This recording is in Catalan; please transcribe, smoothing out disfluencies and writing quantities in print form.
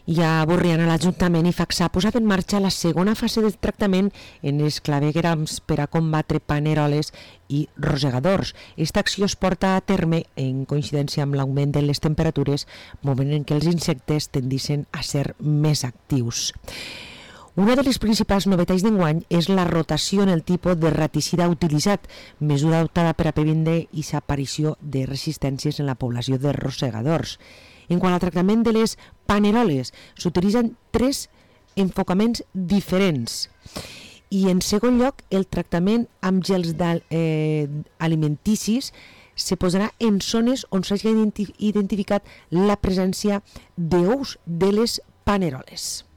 I a Borriana l'Ajuntament i Faxà ha posat en marxa la segona fase del tractament en els claveguerams per a combatre paneroles i rosegadors. Aquesta acció es porta a terme en coincidència amb l'augment de les temperatures, moment en què els insectes tendeixen a ser més actius. Una de les principals novetats d'enguany és la rotació en el tipus de raticida utilitzat, mesura adoptada per a previndre aquesta aparició de resistències en la població de rosegadors. En quant al tractament de les paneroles, s'utilitzen 3 enfocaments diferents. I en segon lloc, el tractament amb gels alimenticis se posarà en zones on s'hagi identificat la presència d'ous de les paneroles.